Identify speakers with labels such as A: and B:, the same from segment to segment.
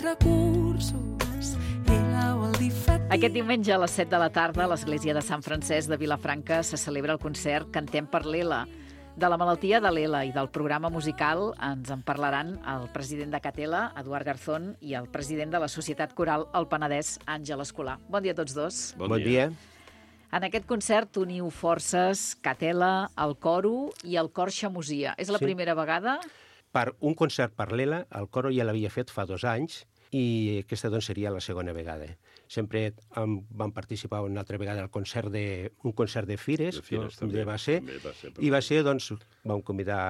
A: recursos i
B: Aquest diumenge a les 7 de la tarda a l'Església de Sant Francesc de Vilafranca se celebra el concert Cantem per l'ELA. De la malaltia de l'ELA i del programa musical ens en parlaran el president de Catela, Eduard Garzón, i el president de la Societat Coral El Penedès, Àngel Escolà. Bon dia a tots dos.
C: Bon dia.
B: En aquest concert uniu forces Catela, el Coro i el Cor Xamosia. És la primera vegada?
C: Per un concert per l'ELA, el Coro ja l'havia fet fa 2 anys i aquesta doncs, seria la segona vegada. Sempre vam participar una altra vegada al concert un concert de Fires,
D: també
C: va ser, i va ser, doncs, vam convidar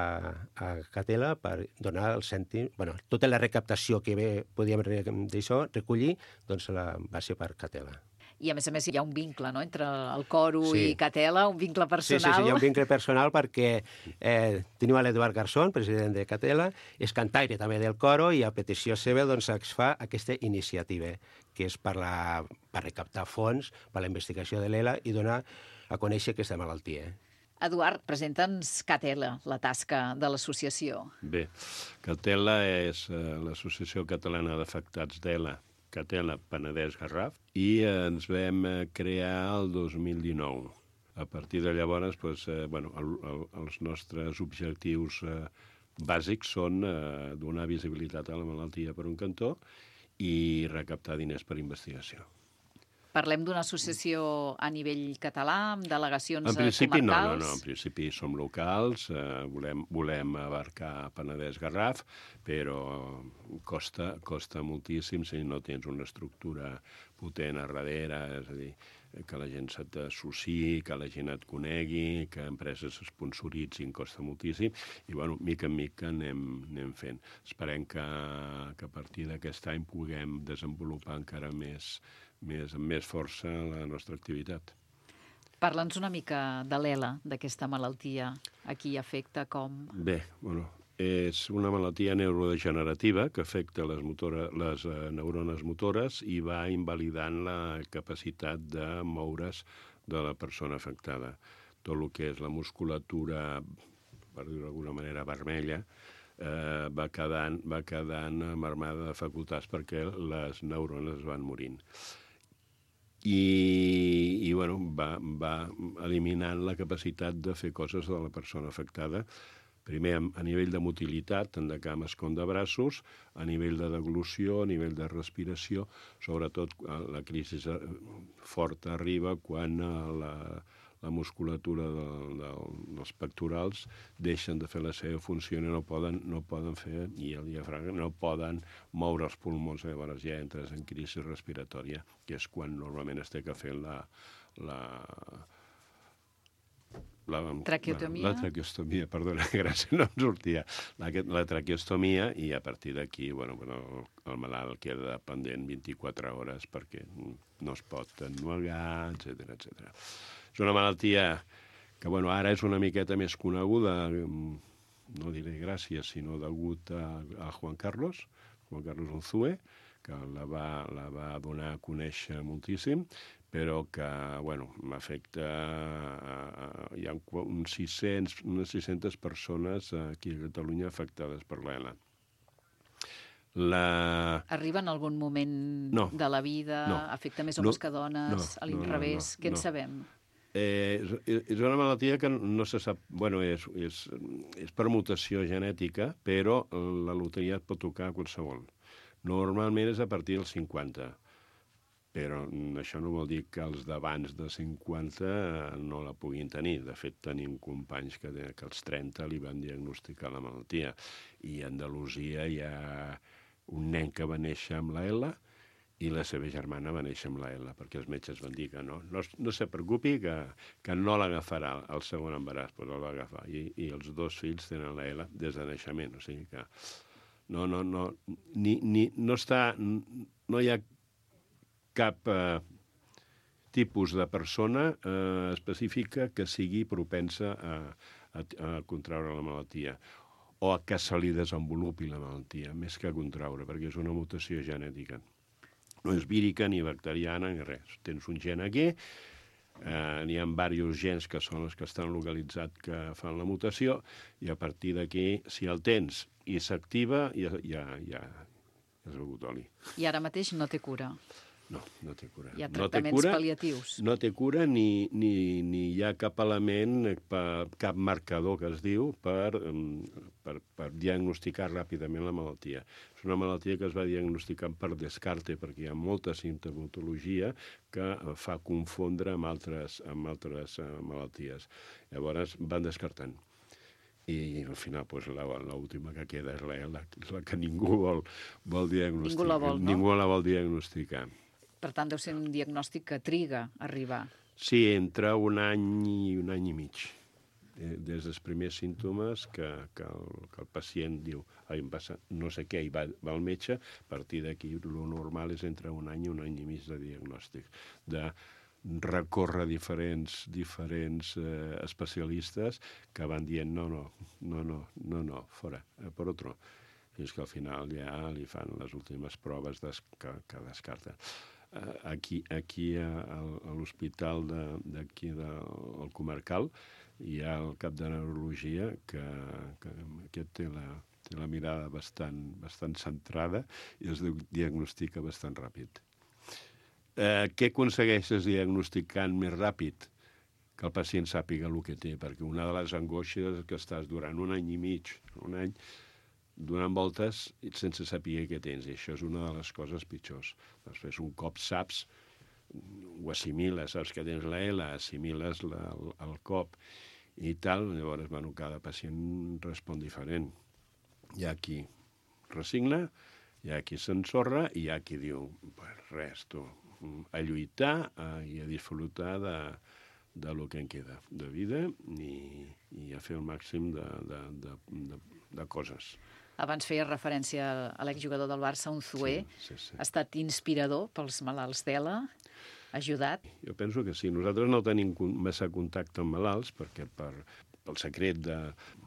C: a Catela per donar el cèntim, tota la recaptació que podíem d'això recollir, doncs va ser per Catela.
B: I, a més, hi ha un vincle, no?, entre el Coro i Catela, un vincle personal.
C: Sí, hi ha un vincle personal perquè tenim l'Eduard Garzón, president de Catela, és cantaire també del Coro i a petició seva doncs, es fa aquesta iniciativa, que és per recaptar fons per a la investigació de l'ELA i donar a conèixer aquesta malaltia.
B: Eduard, presenta'ns Catela, la tasca de l'associació.
D: Bé, Catela és l'Associació Catalana d'Afectats d'ELA, Catela Penedès Garraf, i ens vam crear el 2019. A partir de llavors, els nostres objectius bàsics són donar visibilitat a la malaltia per un cantó i recaptar diners per investigació.
B: Parlem d'una associació a nivell català, amb delegacions
D: comarcals? En principi
B: comarcals?
D: no, en principi som locals, volem abarcar Penedès-Garraf, però costa moltíssim si no tens una estructura potent a darrere, és a dir, que la gent se t'associï, que la gent et conegui, que empreses sponsoritzin, costa moltíssim, i, mica en mica anem fent. Esperem que a partir d'aquest any puguem desenvolupar encara amb més força la nostra activitat.
B: Parla'ns una mica de l'ELA, d'aquesta malaltia. A qui afecta, com?
D: Bé, és una malaltia neurodegenerativa que afecta les neurones motores i va invalidant la capacitat de moure's de la persona afectada. Tot el que és la musculatura, per dir-ho d'alguna manera, vermella, va quedant marmada de facultats perquè les neurones van morint. I va eliminant la capacitat de fer coses de la persona afectada, primer a nivell de motilitat, tant de cames com de braços, a nivell de deglució, a nivell de respiració, sobretot la crisi forta arriba quan la musculatura dels pectorals deixen de fer la seva funció i no poden fer, i el diafragma no poden moure els pulmons, llavors ja entres en crisi respiratòria, que és quan normalment es té que fer la
B: traqueotomia.
D: La traqueostomia, perdona, gràcies, no em sortia. La traqueostomia, i a partir d'aquí, el malalt queda pendent 24 hores perquè no es pot ennuegar, etc. És una malaltia que, ara és una miqueta més coneguda, no diré gràcies, sinó degut a Juan Carlos Unzué, que la va donar a conèixer moltíssim, però que, m'afecta... Hi ha unes 600 persones aquí a Catalunya afectades per l'ELA.
B: Arriba en algun moment de la vida? Afecta més homes que dones? A l'inrevés? Què en sabem?
D: És una malaltia que no se sap... És per mutació genètica, però la loteria et pot tocar qualsevol. Normalment és a partir dels 50, però això no vol dir que els d'abans de 50 no la puguin tenir. De fet, tenim companys que als 30 li van diagnosticar la malaltia. I a Andalusia hi ha un nen que va néixer amb la ELA i la seva germana va néixer amb la ELA, perquè els metges van dir que no se preocupi, que no l'agafarà el segon embaràs, però el va agafar. I els 2 fills tenen la ELA des de naixement, o sigui que no hi ha cap tipus de persona específica que sigui propensa a contraure la malaltia o a que se li desenvolupi la malaltia, més que a contraure, perquè és una mutació genètica. No és vírica ni bacteriana ni res. Tens un gen aquí, n'hi ha diversos gens que són els que estan localitzats que fan la mutació, i a partir d'aquí, si el tens i s'activa, ja has begut oli.
B: I ara mateix no té cura.
D: No, no té cura.
B: Hi ha tractaments pal·liatius.
D: No té cura ni hi ha cap element, cap marcador que es diu per diagnosticar ràpidament la malaltia. És una malaltia que es va diagnosticar per descarte, perquè hi ha molta simptomatologia que fa confondre amb altres malalties. Llavors van descartant. I al final l'última que queda és la que ningú vol diagnosticar.
B: Ningú la vol, no?
D: Ningú la vol diagnosticar.
B: Per tant, deu ser un diagnòstic que triga a arribar.
D: Sí, entre un any i un any i mig. Des dels primers símptomes que el pacient diu em passa no sé què i va al metge, a partir d'aquí el normal és entre un any i mig de diagnòstic. De recórrer diferents especialistes que van dient no, fora, per otro. Fins que al final ja li fan les últimes proves que descarten. Aquí a l'hospital d'aquí del comarcal hi ha el cap de neurologia que aquest té la mirada bastant centrada i es diagnostica bastant ràpid. Què aconsegueixes diagnosticant més ràpid? Que el pacient sàpiga el que té, perquè una de les angoixes és que estàs durant un any i mig, un any, donant voltes sense saber què tens, i això és una de les coses pitjors. Després, un cop saps, ho assimiles, saps que tens la L, assimiles el cop i tal, llavors, cada pacient respon diferent. Hi ha qui resigna, hi ha qui s'ensorra i hi ha qui diu, res, tu, a lluitar i a disfrutar de lo que en queda de vida i a fer el màxim de coses.
B: Abans feia referència a l'exjugador del Barça, Unzué.
D: Sí.
B: Ha estat inspirador pels malalts d'ELA? Ha ajudat?
D: Jo penso que sí. Nosaltres no tenim massa contacte amb malalts perquè pel secret de...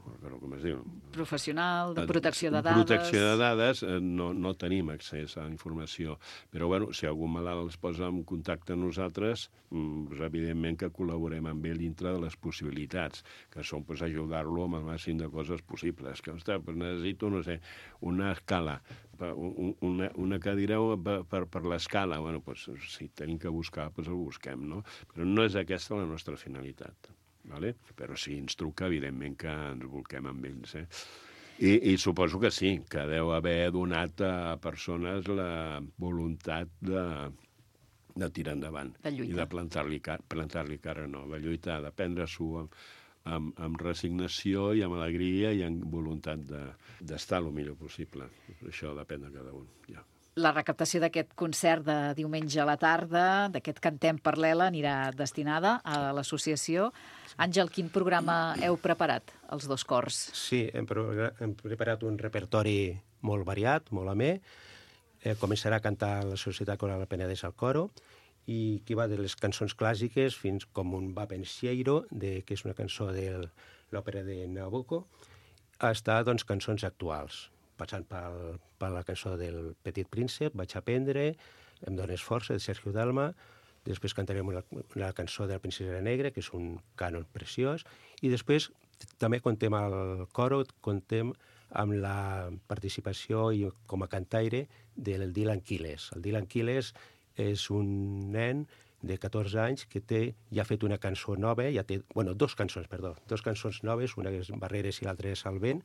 D: com es diu?
B: Professional, de protecció de dades.
D: Protecció de dades, no tenim accés a informació. Però, si algun malalt es posa en contacte amb nosaltres, evidentment que col·laborem amb ell dintre de les possibilitats, que són ajudar-lo amb el màxim de coses possibles. Que, necessito, no sé, una escala, una cadira per l'escala. Si tenim que buscar, el busquem, no? Però no és aquesta la nostra finalitat. Vale? Però si ens truca, evidentment que ens volquem amb ells. I suposo que sí, que deu haver donat a persones la voluntat de tirar endavant.
B: De lluitar.
D: I de plantar-li cara nova, lluitar, de prendre-s'ho amb resignació i amb alegria i amb voluntat d'estar el millor possible. Això depèn de cada un, ja.
B: La recaptació d'aquest concert de diumenge a la tarda, d'aquest Cantem per l'ELA, anirà destinada a l'associació. Àngel, quin programa heu preparat, els dos cors?
C: Sí, hem preparat un repertori molt variat, molt amè. Començarà a cantar la Societat Coral Penedès al coro, i que va de les cançons clàssiques fins com un va pensiero, que és una cançó de l'òpera de Nabucco, hasta cançons actuals, passant per la cançó del Petit Príncep, Vaig aprendre, Em dones força, de Sergio Dalma. Després cantarem la cançó de la Princesa Negra, que és un cànon preciós. I després també contem al coro, contem amb la participació com a cantaire del Dylan Quiles. El Dylan Quiles és un nen de 14 anys que ja ha fet una cançó nova, dos cançons noves, una és Barreres i l'altra és El vent,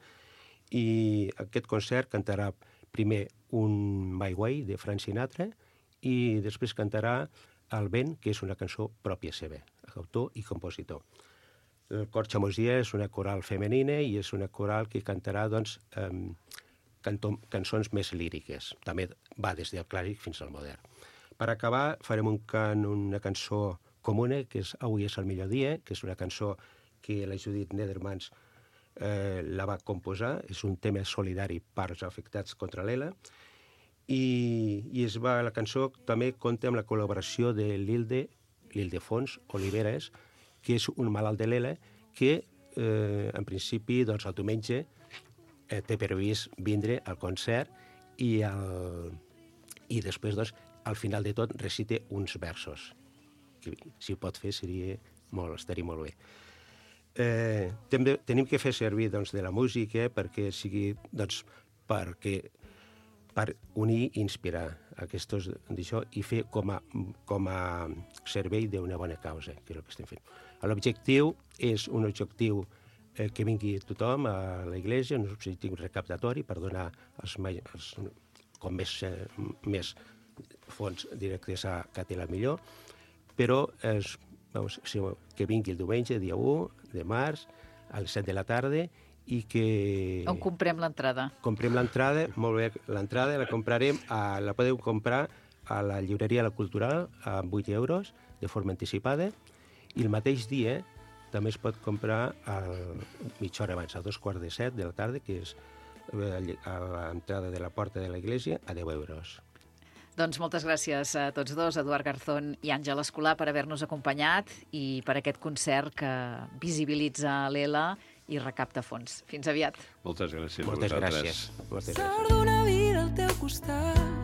C: i aquest concert cantarà primer un My Way de Frank Sinatra i després cantarà El vent, que és una cançó pròpia seva, autor i compositor. El cor Chamosia és una coral femenina i és una coral que cantarà cançons més líriques. També va des del clàssic fins al modern. Per acabar farem una cançó comuna, que és Avui és el millor dia, que és una cançó que la Judit Nedermans la va composar, és un tema solidari per als afectats contra l'ELA, i la cançó també compta amb la col·laboració de l'Ildefons Oliveres, que és un malalt de l'ELA, que en principi el diumenge té previst vindre al concert i després, al final de tot, recite uns versos, que si ho pot fer estaria molt bé. Tenim que fer servir de la música perquè per unir i inspirar aquests d'això i fer com a servei d'una bona causa, que és el que estem fent. L'objectiu és un objectiu que vingui tothom a l'església, un objectiu recaptatori per donar com més fons directes a Catela millor, però que vingui el diumenge, dia 1 de març, a les 7 de la tarda, i que...
B: On comprem l'entrada?
C: Comprem l'entrada, molt bé, l'entrada la comprarem, la podeu comprar a la llibreria La Cultural a 8 euros, de forma anticipada, i el mateix dia també es pot comprar mitja hora abans, a 6:45 de la tarda, que és a l'entrada de la porta de l'església, a 10 euros.
B: Doncs moltes gràcies a tots dos, Eduard Garzón i Àngel Escolà, per haver-nos acompanyat i per aquest concert que visibilitza l'ELA i recapta fons. Fins aviat.
D: Moltes gràcies.
C: Moltes gràcies.
A: Sort d'una vida al teu costat.